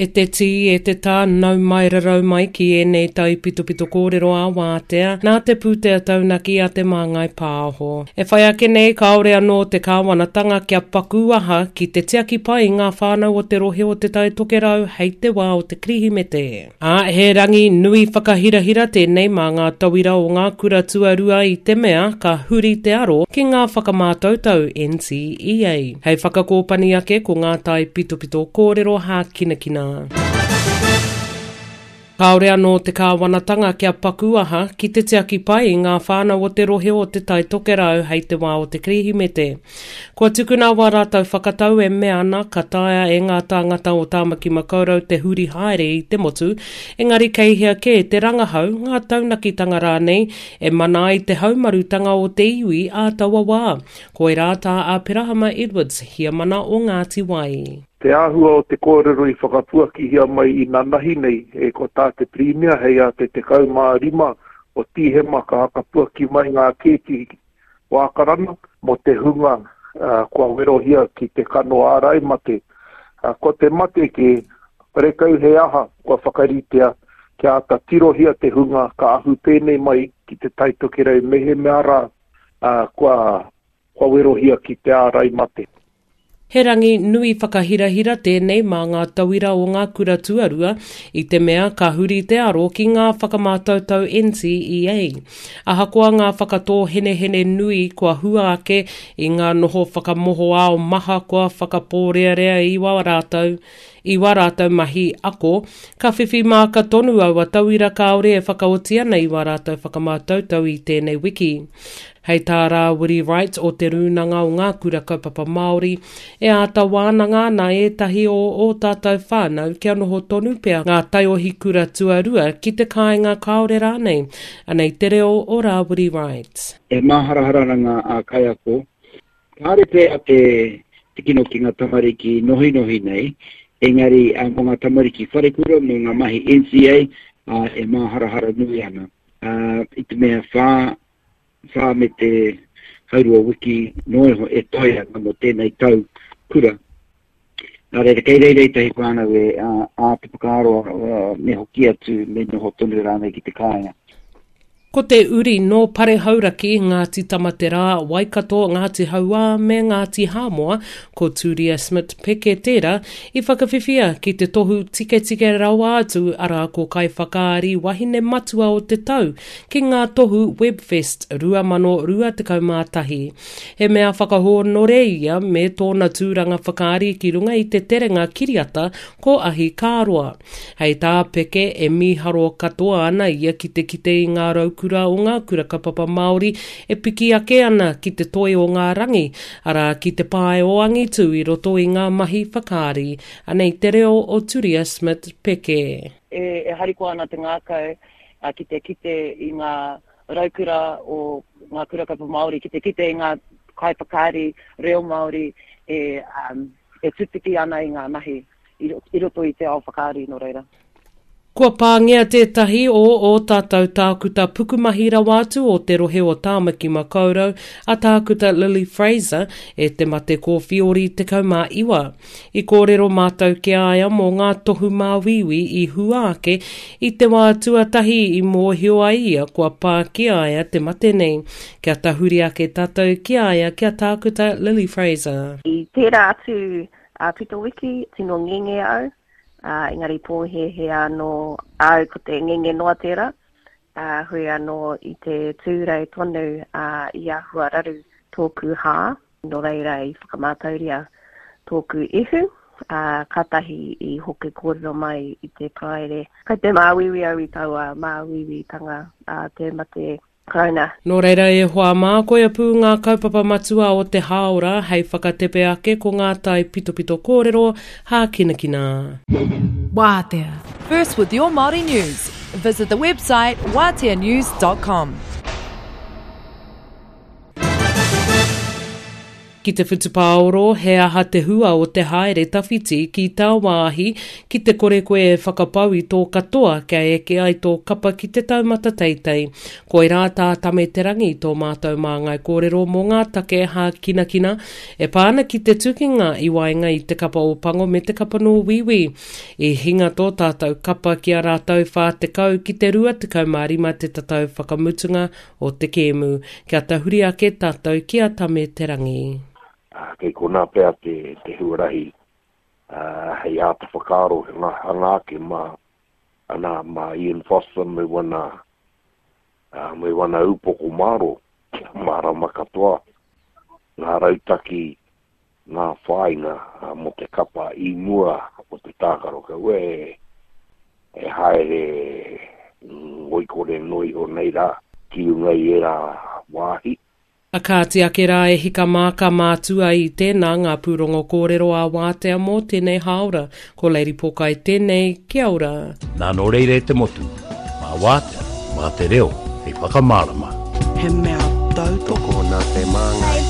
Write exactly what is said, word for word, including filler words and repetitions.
E te tī, e te tā, nau mai rarau mai ki ēnei taipitopito kōrero a wātea, nā te pūtea taunaki a Te Māngai Pāho. E whai ake nei kāore anō te kāwanatanga kia paku aha ki te tiaki pai i ngā whānau o te rohe o Te Tai Tokerau hei te wā o te Kirihimete. Ā, he rangi nui whakahirahira tēnei mā ngā tauira o ngā kura tuarua i te mea ka huri te aro ki ngā whakamātautau N C E A. Hei whakakōpani ake ko ngā taipitopito kōrero hākinakina. Kāore anō te kāwanatanga kia paku aha ki te tiaki pai i ngā whānau o te rohe o Te Tai Tokerau hei te wā o te Kirihimete. Kua tukuna wā rātou whakatau e mea ana ka taea e ngā tāngata o Tāmaki Makaurau te huri haere i te motu, engari kei hea kē te rangahau, ngā taunakitanga rānei, e mana ai te haumarutanga o te iwi ā taua wā. Koirā tā Aperahama Edwards, hiamana o Ngāti Wai. Te āhua o te kōrero i whakapuakihia mai i nanahi nei, e ko tā te Pirimia hei a te tekau mā rima o Tīhema ka hakapuaki mai ngā kēti wākarana mō te hunga uh, kua werohia ki te kano ārai mate. Uh, ko te mate ke rekau he aha kua whakaritea kia āta tirohia te hunga ka ahu pēnei mai ki te Tai Tokerau mehemea rā uh, kua, kua werohia ki te ārai mate. He rangi nui whakahirahira tēnei mā ngā tauira o ngā kura tuarua i te mea ka huri te aro ki ngā whakamātautau N C E A. Ahakoa ngā whakatōhenehene nui kua hua ake i ngā noho whakamohoao maha kua whakapōrearea i wā rātou, i wā rātou mahi ako, ka whiwhi māka tonu aua tauira kāore e whakaoti ana i wā rātou whakamātautau i tēnei wiki. Hei tā Rāwiri Wright o te Rūnanga o ngā Kura Kaupapa Māori, e āta wānanga ana ētahi o ō tātou whānau kia noho tonu pea ngā taiohi kura tuarua ki te kāinga kāore rānei. Anei te reo o Rāwiri Wright. E māharahara ana ngā a kaiako, kāre pea te, te kino ki ngā tamariki nohinohi nei, engari a, mō ngā tamariki wharekura, mō ngā mahi N C A, a, e māharahara nui ana. A, i te mea whā, whā me te haurua wiki noa iho e toe ana mō tēnei tau kura. Nā reira, kei reira i tahi whānau e a, a te whakaaro, a, me hoki atu, me noho tonu rānei ki te kāinga. Ko te uri nō Parehauraki, Ngāti Tamaterā, Waikato, Ngāti Hauā me Ngāti Hāmoa, ko Turia Smith Peke tērā, i whakawhiwhia ki te tohu tiketike rawa atu arā ko kaiwhakaari wahine matua o te tau ki ngā tohu Webfest rua mano rua tekau mā tahi. He mea whakahōnore ia me tōna tūranga whakaari ki runga i te terenga kiriata ko Ahi Kāroa. Hei tā Peke e mīharo katoa ana ia ki te kite i ngā raukura o ngā kura kaupapa Māori e piki ake ana ki te toi o ngā rangi, arā ki te pae o angitu i roto i ngā mahi whakaari. Anei te reo o Turia Smith Peke. E, e harikoa ana te ngākau, a, ki te kite i ngā raukura o ngā kura kaupapa Māori, ki te kite i ngā kaiwhakaari reo Māori e, um, e tutuki ana i ngā mahi i, i roto i te ao whakaari nō reira. Kua pāngia tētahi o ō tātou tākuta pukumahi rawa atu o te rohe o Tāmaki Makaurau a tākuta Lily Fraser e te mate kōwhiori tekau mā iwa. I kōrero mātou ki a ia mō ngā tohu māuiui i hua ake i te wā tuatahi i mōhio ai ia kua pā ki a ia te mate nei. Kia tahuri ake tātou ki a ia kia tākuta Lily Fraser. I tērā atu a Pito Wiki, tino ngenge au. Uh, engari pōhehe anō au ko te ngenge noa tērā, uh, hui anō i te tūrei tonu, uh, i ahua raru tōku hā, nō reira i whakamātauria tōku ihu, uh, kātahi i hoki kōrero mai i te Paraire. Kai te māuiui au i taua māuiuitanga, uh, te mate Karauna. Nō reira e hoa mā, koia pū ngā kaupapa matua o te hāora hei whakatepe ake ko ngā tai pitopito kōrero hākinakina. Wātea. First with your Māori news. Visit the website wātea news dot com. Ki te whutupāoro, he aha te hua o te haere tawhiti ki tāwāhi ki te kore koe e whakapau i tō katoa kia eke ai tō kapa ki te taumata teitei. Koirā tā Tame Te Rangi tō mātou māngai kōrero mō ngā take hākinakina e pā ana ki te tukinga i waenga i te kapa Ōpango me te kapa nō Wīwī. I hinga tō tātou kapa ki a rātou whā tekau ki te rua tekau mā rima te tatau whakamutunga o te kēmu. Kia tahuri ake tātou ki a Tame Te Rangi. Uh, kei konā pea te, te huarahi uh, hei āta whakaaro ngā hanga ake mā, ana, mā Ian Foster me wana, uh, me wana upoko māro, kia mārama katoa ngā rautaki, ngā whāinga uh, mō te kapa i mua o te tākaro. Kaua e, e haere ngoikore noa iho nei rā ki runga i ērā wāhi. A kāti ake rā e hika mā ka mātua i tēnā ngā pūrongo kōrero a Wātea mō tēnei hāora. Ko Lady Pōkai tēnei, kia ora. Nā nō reira e te motu, mā Wātea, mā te reo, hei whakamārama. He mea tautoko nā te māngai.